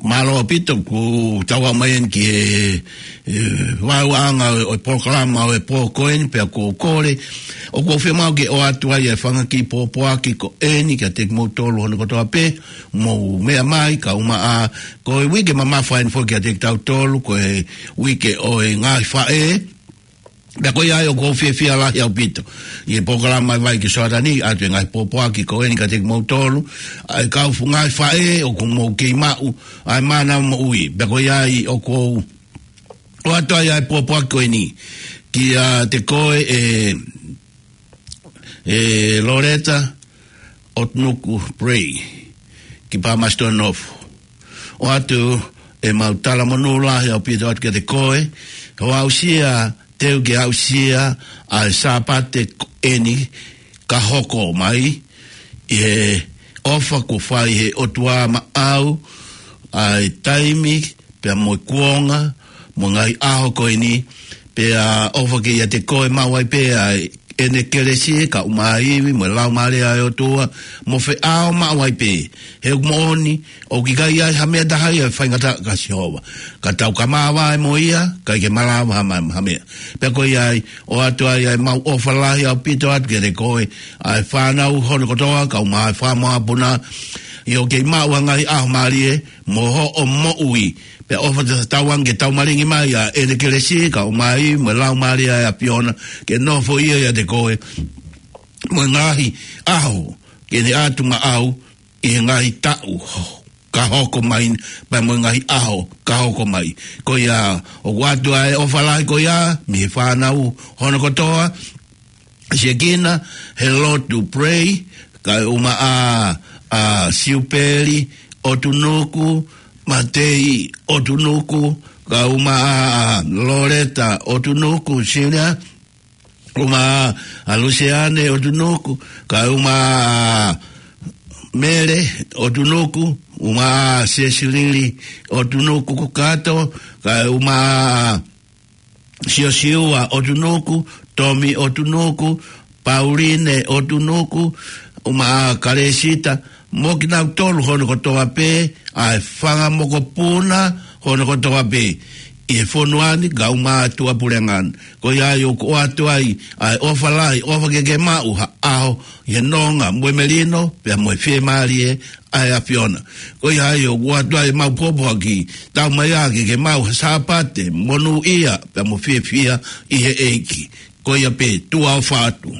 Mālō ʻaupito, kuo tau aʻu mai eni ki he, he vaeuaʻanga ʻo e polokalama ʻo e pō ko eni, pea ʻoku ou kole, ʻoku ou fiemaʻu ke ʻoatu ai e fanga kiʻi pōpoaki ko eni kiate kimoutolu hono kotoa pē, mou meʻa mai, kae ʻumaʻā, ko e uike mamafa eni foki kiate kitautolu, ko e uike ʻo e ngaahi faʻē, pea ko ia ai ʻoku ou fiefia lahi ʻaupito ʻi he polokalama ʻa e Vaiki Soatani, ʻoatu e ngaahi pōpoaki ko eni kiate kimoutolu, ʻa e kau fu-, ngaahi faʻē ʻoku mou kei maʻu ʻa e mānava moʻui. Pea ko ia ai ʻoku ou ʻoatu ai ʻa e pōpoaki ko eni kiate koe ʻe, ʻe Loretta ʻOtunuku Pray, ki Palmerston North. ʻOatu ʻemau talamonū lahi ʻaupito atu kiate koe, hoʻo aʻusia, teu ke aʻusia ʻa e Sāpate ko eni ka hoko mai, ʻi he ʻofa kuo fai he ʻOtua maʻau, ʻa e taimi, pea mo e kuonga, mo e ngaahi ʻaho ko eni, pea ʻofa ke ʻiate koe maʻu ai pē ʻa ʻene kelesi, kae ʻumaʻā e ivi, mo e Laumālie ʻa e ʻOtua, mo feʻao maʻu ai pē. He ʻoku moʻoni, ʻoku ʻikai ʻi ai ha meʻa taha ia ʻe faingataʻa kia Sihova. Ka tau ka māvae mo ia, ʻikai ke malava ha ma-, ha meʻa. Pea ko ia ai, ʻoatu ai ʻemau ʻofa lahi ʻaupito atu kiate koe, ʻa e fānau hono kotoa, kae ʻumaʻā e fānau ʻapuna, ʻi hoʻo kei maʻu ʻa e ngaahi ʻaho mālie, mo hoʻo moʻui. Pea ʻofa te tauange ke taumalingi mai ʻa ʻene kelesi, kae ʻumaʻā e ivi, mo e Laumālie ʻa e ʻAfiona, ke nofo ia ʻiate koe, mo e ngaahi ʻaho, ke ne ʻatu maʻau, ʻi he ngaahi taʻu ka hoko mai, pea mo e ngaahi ʻaho ka hoko mai. Ko ia, ʻoku ʻoatu ʻa e ʻofa lahi ko ia, mei he fānau hono kotoa, siʻi kina, he Lord to Pray, kae ʻumaʻā, ʻa Siupeli ʻOtunuku, Matei ʻOtunuku, kae ʻumaʻā, ʻa Loretta ʻOtunuku, Senior, ʻumaʻā, ʻa Luseane ʻOtunuku, kae ʻumaʻā, ʻa Mele ʻOtunuku, ʻumaʻā, ʻa Sesilili ʻOtunuku Kukato, kae ʻumaʻā, ʻa Siosiua ʻOtunuku, Tomi ʻOtunuku, Pauline ʻOtunuku, ʻumaʻā, ʻa Kalesita, mo kinautolu hono kotoa pē, ʻa e fanga mokopuna hono kotoa pē ʻi he fonua ni, kae ʻumaʻā e tuʻapuleʻanga ni. Ko ia ai ʻoku ʻoatu ai ʻa e ʻofa lahi, ʻofa ke ke maʻu ha ʻaho ʻi he nonga mo e melino, pea mo e fiemālie ʻa e ʻAfiona. Ko ia ai ʻoku ʻoatu ai ʻemau pōpoaki, tau mai ā ke ke maʻu ha Sāpate monūʻia, pea mo fiefia ʻi he ʻEiki. Ko ia pē, tuʻa ʻofa atu.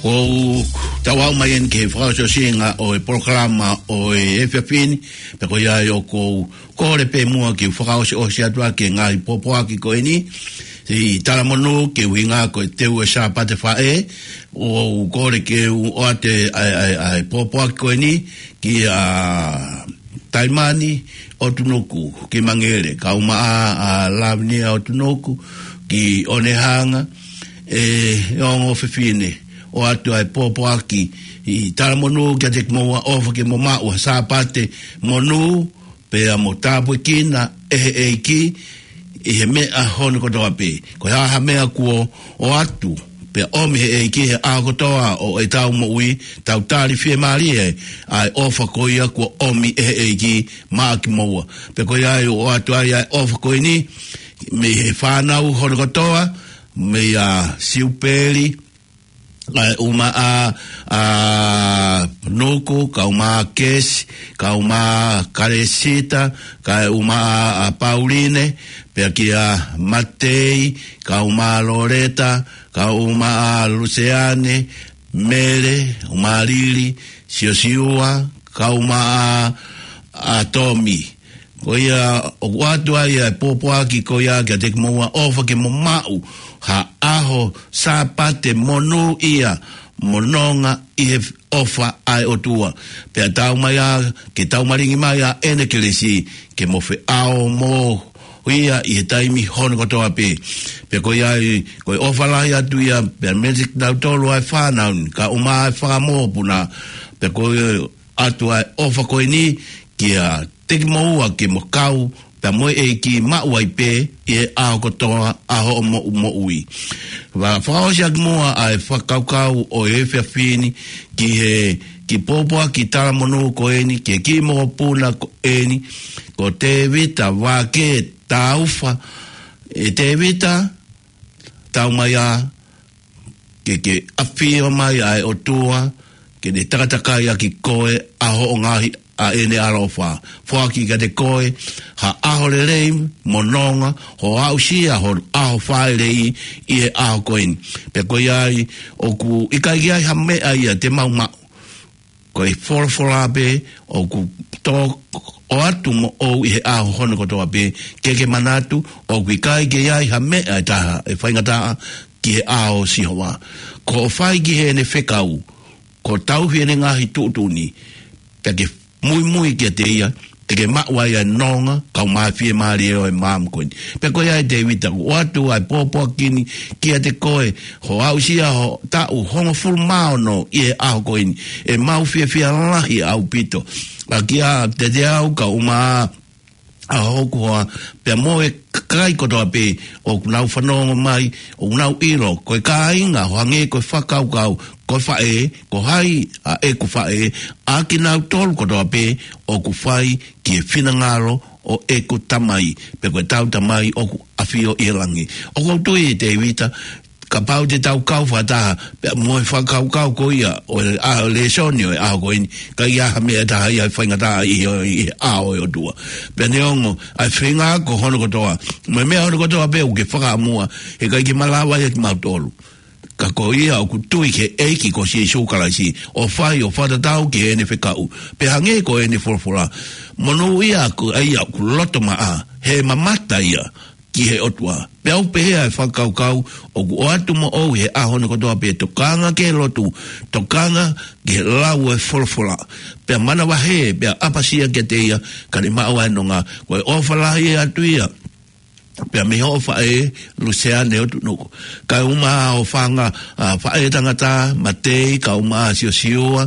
Ko u tau aʻu mai eni ki he fakaʻosiʻosinga ʻo e polokalama ʻo e efiafi ni, pea ko ia ai ʻoku ou kole pē muʻa ke u fakaʻosiʻosi atu ʻa e ngaahi pōpoaki ko eni, ʻi Talamonū, ke ʻuhinga ko e teu e Sāpate Faʻē, ʻoku ou kole ke u ʻoatu ʻa e, ʻa e, ʻa e pōpoaki ko eni kia Taimani ʻOtunuku ki Mangere, kae ʻumaʻā ʻa Lavinia ʻOtunuku ki Onehunga, ʻe ongo fefine, ʻoatu ʻa e pōpoaki ʻi Talamonū kiate kimoua, ʻofa ke mo maʻu ha Sāpate monū, pea mo tāpuekina ʻe he ʻEiki ʻi he meʻa hono kotoa pē. Ko e hā ha meʻa kuo ʻoatu, pea ʻomi ʻe he ʻEiki he ʻaho kotoa ʻo ʻetau moʻui, tau tali fiemālie ʻa e ʻofa ko ia kuo ʻomi ʻe he ʻEiki maʻa kimoua. Pea ko ia ai ʻoku ʻoatu ai ʻa e ʻofa ko eni mei he fānau hono kotoa, meia Siupeli, kae ʻumaʻā ʻa Nuku, kae ʻumaʻā Kesi, kae ʻumaʻā Kalesita, kae ʻumaʻā ʻa Pauline, pea kia Matei, kae ʻumaʻā Loleta, kae ʻumaʻā Luseane, Mele, ʻumaʻā Lili, Siosiua, kae ʻumaʻā ʻa Tomi. Ko ia ʻoku ʻoatu ai ʻa e pōpoaki ko ia kiate kimoua, ʻofa ke mo maʻu ha ʻaho Sāpate monū ia, mo nonga ʻi he ʻofa ʻa e ʻOtua. Pea tau mai ā, ke tau malingi mai ʻa ʻene kelesi, ke mo feʻao mo ia ʻi he taimi hono kotoa pē. Pea ko ia ai, ko e ʻofa lahi atu ia, pea mei kinautolu ʻa e fānau ni, kae ʻumaʻā ʻa e fanga mokopuna, pea ko e ʻoatu ʻa e ʻofa ko eni kiate kimoua ke mo kau, pea mo e ʻEiki maʻu ai pē ʻi he ʻaho kotoa ʻa hoʻomou moʻui. Pea fakaʻosi ʻaki muʻa ʻa e fakakaukau ʻo e efiafi ni ki he kiʻi pōpoaki talamonū ko eni, ki he kiʻi mokopuna ko eni, ko Tēvita Vake Taufa. ʻE Tēvita, tau mai ā, ke ke ʻafio mai ʻa e ʻOtua, ke ne takatakai ʻaki koe ʻa hoʻo ngaahi, ʻa ʻene ʻaloʻofa. Foaki kiate koe ha ʻaho lelei mo nonga, hoʻo aʻusia ho ʻaho fāʻeleʻi ʻi he ʻaho ko eni. Pea ko ia ai, ʻoku ʻikai ke ʻi ai ha meʻa ia te mau maʻu. Ko e folofola pē ʻoku tō ʻoatu moʻou ʻi he ʻaho hono kotoa pē, ke ke manatu, ʻoku ʻikai ke ʻi ai ha meʻa ʻe taha ʻe faingataʻa ki he ʻao ʻo Sihova. Ko hoʻo fai ki heʻene fekau, ko e tauhi ʻene ngaahi tuʻutuʻuni, pea ke muimui kiate ia, te ke maʻu ai ʻa e nonga, kae ʻumaʻā e fiemālie ʻo e maama ko eni. Pea ko ia ai Tēvita, ʻoku ʻoatu ʻa e pōpoaki ni kiate koe, hoʻo aʻusia ho taʻu hongofulu mā ono ʻi he ʻaho ko eni, ʻe mau fiefia lahi ʻaupito. ʻA kia Teteau kae ʻumaʻā ʻa hoku hoa, pea mo e kakai kotoa pē ʻoku nau fanongo mai, ʻoku nau ʻilo, ko e kāinga, ʻo hangē ko e fakakaukau, ko e faʻē, ko hai ʻa ʻeku faʻē, ʻa kinautolu kotoa pē ʻoku fai ki he finangalo ʻo ʻeku Tamai, pea ko ʻetau Tamai ʻoku ʻafio ʻi he langi. ʻOku ou tui ʻe Tēvita, kapau te tau kau fakataha, pea mo e fakakaukau ko ia, ʻo e, ʻa, lēsoni ʻo e ʻaho ko eni, ʻikai ha meʻa ʻe taha ia ʻe faingataʻa ʻi he, ʻi he ʻao ʻo e ʻOtua. Pea neongo, ʻa e feinga ko hono kotoa, mo e meʻa hono kotoa pē ʻoku ke fakaʻamua, heʻikai ke malava ia kimautolu. Ka ko ia ʻoku tui ki he ʻEiki ko Sīsū Kalaisi, ʻo fai ʻo fakatatau ki heʻene fekau. Pea hangē ko ʻene folofola. Monūʻia ʻa ia ʻoku loto maʻa, he mamata ia ki he ʻOtua. Pea ʻoku pehē ʻa e fakakaukau, ʻoku ʻoatu moʻou ʻi he ʻaho ni kotoa pē, tokanga ki he lotu, tokanga ki he lau ʻo e folofola. Pea manavahē, pea ʻapasia kiate ia, ka ne maʻu ʻa e nonga, ko e ʻofa lahi atu ia. Pea mei hoʻo faʻē, Luseane ʻOtunuku. Kae ʻumaʻā hoʻo fanga, ʻa, faʻē tangata, Matei, kae ʻumaʻā Siosiua,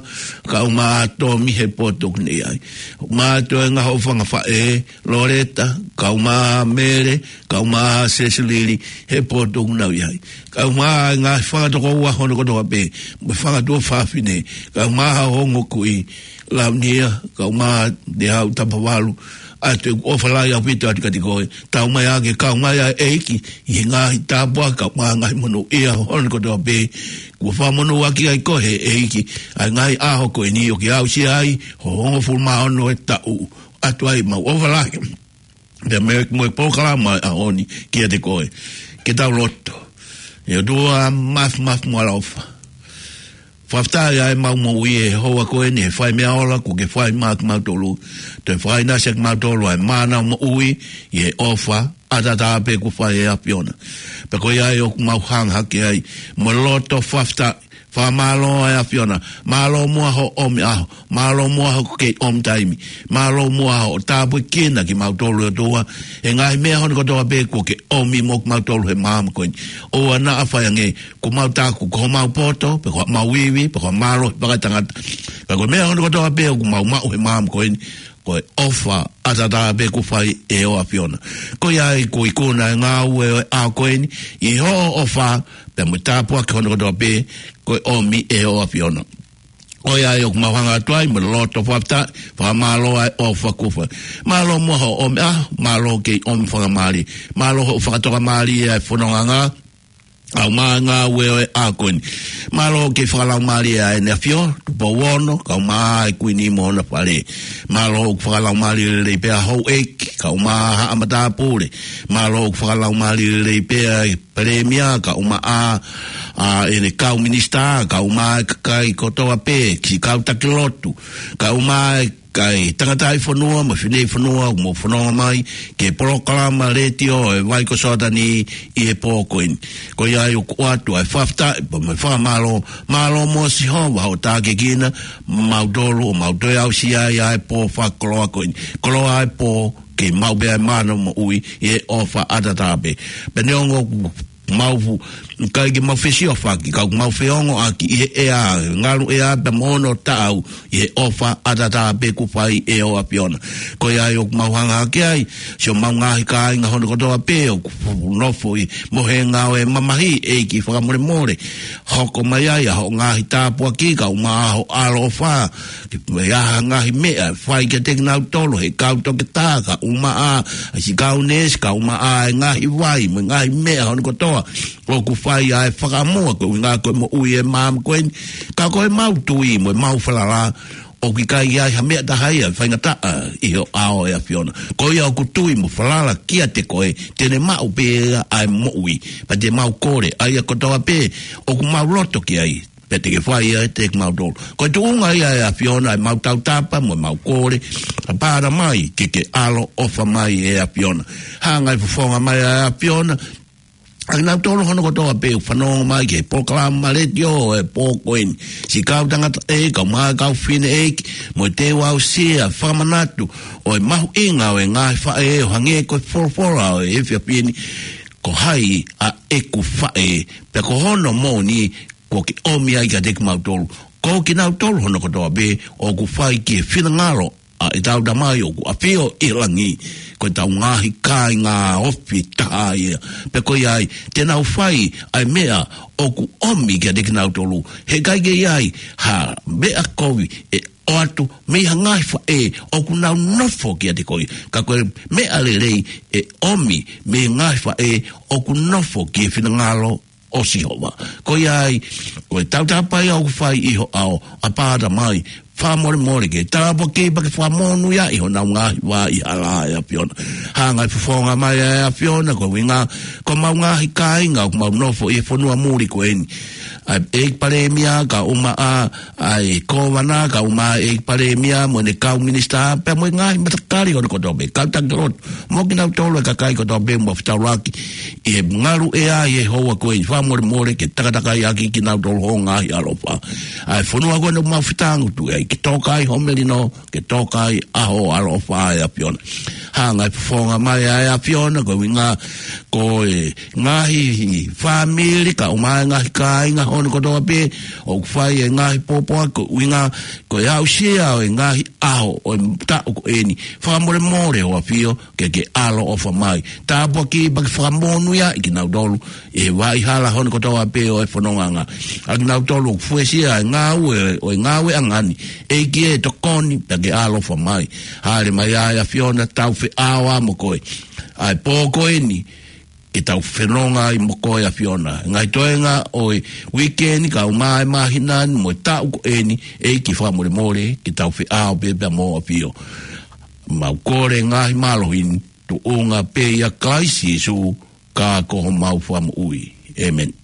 kae ʻumaʻā Tomi he potu ʻoku ne ʻi ai. ʻUmaʻā toenga hoʻo fanga faʻē, Loleta, kae ʻumaʻā Mele, kae ʻumaʻā Sesilili he potu ʻoku nau ʻi ai. Kae ʻumaʻā e ngaahi fanga tokoua hono kotoa pē, mo e fanga tuofāfine, kae ʻumaʻā hoʻo ongo kui, Launia, kae ʻumaʻā Nehau Tapavalu, ʻa e ʻofa lahi ʻaupito atu kiate koe, tau mai ā ke kau mai ʻa e ʻEiki, ʻi he ngaahi tāpuaki kae ʻumaʻā e ngaahi monūʻia hono kotoa pē, kuo fakamonūʻaki ai koe ʻe he ʻEiki, ʻa e ngaahi ʻaho ko eni ʻoku ke aʻusia ai, hoʻo hongofulu mā ono ʻo e taʻu, ʻoatu ai ʻemau ʻofa lahi. Pea mo e, mo e polokalama ʻo e ʻaho ni kiate koe. Ke tau lotu. ʻE ʻOtua mafimafi mo ʻaloʻofa. Fakafetaʻi ʻa e mau moʻui ʻi he houa ko eni he fai meʻa ola kuo ke fai maʻa kimautolu. Toe fakainasi ʻa kimautolu ʻa e mānava moʻui ʻi he ʻofa ʻataʻatā pē kuo fai ʻe he ʻAfiona. Pea ko ia ai ʻoku mau hanga hake ai mo e loto fakafetaʻi, fakamālō ʻa e ʻAfiona. Mālō muʻa hoʻo ʻomi ʻaho, mālō muʻa hoʻo kei ʻomi taimi, mālō muʻa hoʻo tāpuekina kimautolu ʻe ʻOtua he ngaahi meʻa hono kotoa pē kuo ke ʻomi mo kimautolu he māmani ko eni. ʻOua naʻa fai ange kuo mau taku ko homau poto, pe ko homau ivi, pe ko homau mālohi fakaetangata. Ka ko e meʻa hono kotoa pē ʻoku mau maʻu he māmani ko eni, ko e ʻofa ʻataʻatā pē kuo fai ʻe he ʻAfiona. Ko ia ai kuo ikuna ʻa e ngāue ʻo e ʻaho ko eni ʻi hoʻo ʻofa, pea mo e tāpuaki hono kotoa pē kuo ʻomi ʻe he ʻAfiona. Ko ia ai ʻoku mau hanga atu ai mo e loto fakafetaʻi, fakamālō ʻa e ʻofa kuo fai. Mālō muʻa hoʻo ʻomi ʻaho, mālō kei ʻomi fakamālie, mālō hoʻo fakatokamālie ʻa e fononga, kae ʻumaʻā e ngāue ʻo e ʻaho ko eni. Mālō kei fakalaumālie ʻa ʻEne ʻAfio, Tupou Ono, kae ʻumaʻā e Kuini mo hona fale. Mālō ʻoku fakalaumālie lelei pē ʻa houʻeiki, kae ʻumaʻā haʻa matāpule. Mālō ʻoku fakalaumālie lelei pē ʻa e Palēmia, kae ʻumaʻā ʻa ʻene kau minisitā, kae ʻumaʻā e kakai kotoa pē, siʻi kau taki lotu, kae ʻumaʻā e kakai tangataʻifonua mo e fineʻifonua ʻoku mou fononga mai ki he polokalama letiō ʻo e Vai ko Soatani ʻi he pō ko eni. Ko ia ai ʻoku ʻoatu ʻa e fakafetaʻi pea mo e fakamālō. Mālō muʻa Sihova hoʻo tākiekina mautolu ʻo mau toe aʻusia ai ʻa e pō fakakoloa ko eni. Koloa ʻa e pō ke mau pea e mānava moʻui ʻi he ʻofa ʻataʻatā pē. Pea neongo ʻoku mau fu-, ʻikai ke mau fesiofaki, ka ʻoku mau feongoʻaki ʻi he ʻea, ngalu ʻea pea mo hono taʻau ʻi he ʻofa ʻataʻatā pē kuo fai ʻe he ʻAfiona. Ko ia ai ʻoku mau hanga hake ai siʻomau ngaahi kāinga hono kotoa pē ʻoku fu-, nofo ʻi he mohenga ʻo e mamahi, ʻEiki fakamolemole. Hoko mai ai ʻa hoʻo ngaahi tāpuaki kae ʻumaʻā hoʻo ʻaloʻofa, ke ʻi ai ha ngaahi meʻa ʻe fai kiate kinautolu ʻe he kau toketā, kae ʻumaʻā ʻa e siʻi kau neesi, kae ʻumaʻā e ngaahi vai mo e ngaahi meʻa hono kotoa ʻoku fai ʻa e fakaʻamua ko e ʻuhinga ko e moʻui ʻo e māmani ko eni. Ka ko ʻemau tui mo ʻemau falala ʻoku ʻikai ʻi ai ha meʻa taha ia ʻe faingataʻa ʻi ho ʻao ʻe ʻAfiona. Ko ia ʻoku tui mo falala kiate koe te ne maʻu pē ʻa e moʻui. Pea te mau kole ʻa ia kotoa pē ʻoku mau loto ki ai, pea te ke fai ia kiate kimautolu. Ko e tuʻunga ia ʻe ʻAfiona ʻemau tautapa mo ʻemau kole, ʻApā Tamai, ke ke ʻaloʻofa mai ʻe ʻAfiona. Hanga ʻe he fofonga mai ʻa e ʻAfiona ʻa kinautolu hono kotoa pē ʻoku fanongo mai ki he polokalama letiō ʻo e pō ko eni. Siʻi kau tangataʻeiki, kae ʻumaʻā e kau fineʻeiki, mo e teu aʻusia, fakamanatu ʻo e mahuʻinga ʻo e ngaahi faʻē ʻo hangē ko e folofola ʻo e efiafi ni: Ko hai ʻa ʻeku faʻē, pea ko hono moʻoni kuo ke ʻomi ai kiate kimautolu. Ko kinautolu hono kotoa pē ʻoku fai ki he finangalo ʻa ʻetau Tamai ʻoku ʻafio ʻi he langi. Ko ʻetau ngaahi kāinga ofi taha ia. Pea ko ia ai te nau fai ʻa e meʻa ʻoku ʻomi kiate kinautolu. He ʻikai ke ʻi ai ha meʻa kovi ʻe ʻoatu mei ha ngaahi faʻē ʻoku nau nofo kiate koe. Ka ko e meʻa lelei ʻe ʻomi mei he ngaahi faʻē ʻoku nofo ki he finangalo ʻo Sihova. Ko ia ai, ko e tautapa ia ʻoku fai ʻi ho ʻao, ʻApā Tamai, fakamolemole ke tāpuakiʻi pea ke fakamonūʻia ʻi honau ngaahi vā ʻi he hala ʻe ʻAfiona. Hanga ʻe he fofonga mai ʻa e ʻAfiona ko e ʻuhinga ko ʻemau ngaahi kāinga ʻoku mau nofo ʻi he fonua muli ko eni. ʻA e ʻEiki Palēmia kae ʻumaʻā ʻa e Kōvana kae ʻumaʻā e ʻEiki Palēmia mo ʻene kau minisitā pea mo e ngaahi matakali hono kotoa pē, kau taki lotu, mo kinautolu e kakai kotoa pē ʻoku mau fetaulaki ʻi he ngalu ʻea ʻi he houa ko eni, fakamolemole ke takatakai ʻaki kinautolu ho ngaahi ʻaloʻofa. ʻA e fonua ko eni ʻoku mau fetangutu ai, ke toka ai ho melino, ke toka ai ʻa ho ʻaloʻofa ʻe ʻAfiona. Hanga ʻe he fofonga mai ʻa e ʻAfiona ko e ʻuhinga ko e ngaahi fāmili kae ʻumaʻā e ngaahi kāinga hono kotoa pē ʻoku fai e ngaahi pōpoaki, ko e ʻuhinga ko e aʻusia ʻo e ngaahi ʻaho ʻo e taʻu ko eni. Fakamolemole ho ʻAfio ke ke ʻaloʻofa mai. Tāpuakiʻi pea ke fakamonūʻia ʻi kinautolu ʻi he vaʻa hala hono kotoa pē ʻo e fonongaʻanga. ʻA kinautolu ʻoku fuesia e ngāue ʻo e ngāueʻanga ni, ʻEiki ē, tokoni pea ke ʻaloʻofa mai. Hāʻele mai ʻa e ʻAfiona, tau feʻao mo koe ʻa e pō ko eni, ke tau fononga ai mo koe ʻAfiona. Ngaahi toenga ʻo e uike ni kae ʻumaʻā e māhina ni mo e taʻu ko eni, ʻEiki fakamolemole ke tau feʻao pē pea mo ho ʻAfio. Mau kole e ngaahi mālohi ni, tuʻunga pē ʻia Kalaisi Sīsū, ka ko homau Fakamoʻui. ʻĒmeni.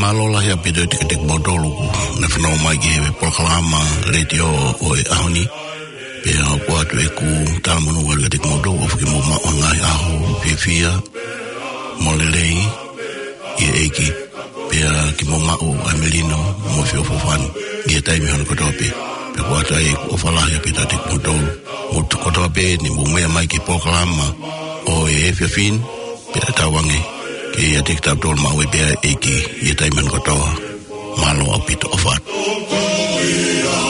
Mālō lahi ʻaupito kiate kimoutolu kuo ne fanongo mai ki he polokalama letiō ʻo e ʻaho ni. Pea ʻoku ʻoatu ʻeku talamonū kiate kimoutolu ʻoku mou maʻu ʻa e ngaahi ʻaho fiefia mo lelei ʻi he ʻEiki. Pea ke mou maʻu ʻa e melino mo e feʻofoʻofani ʻi he taimi hono kotoa pē. Pea ʻoku ʻoatu ai ʻeku ʻofa lahi ʻaupito kiate kimoutolu. Mou tuʻu kotoa pē ni mou meʻa mai ki he polokalama ʻo e efiafi ni. Pea tauange ke ʻiate kitautolu maʻu ai pē ʻa e ʻEiki ʻi he taimi hono kotoa. Mālō ʻaupito, ʻofa atu.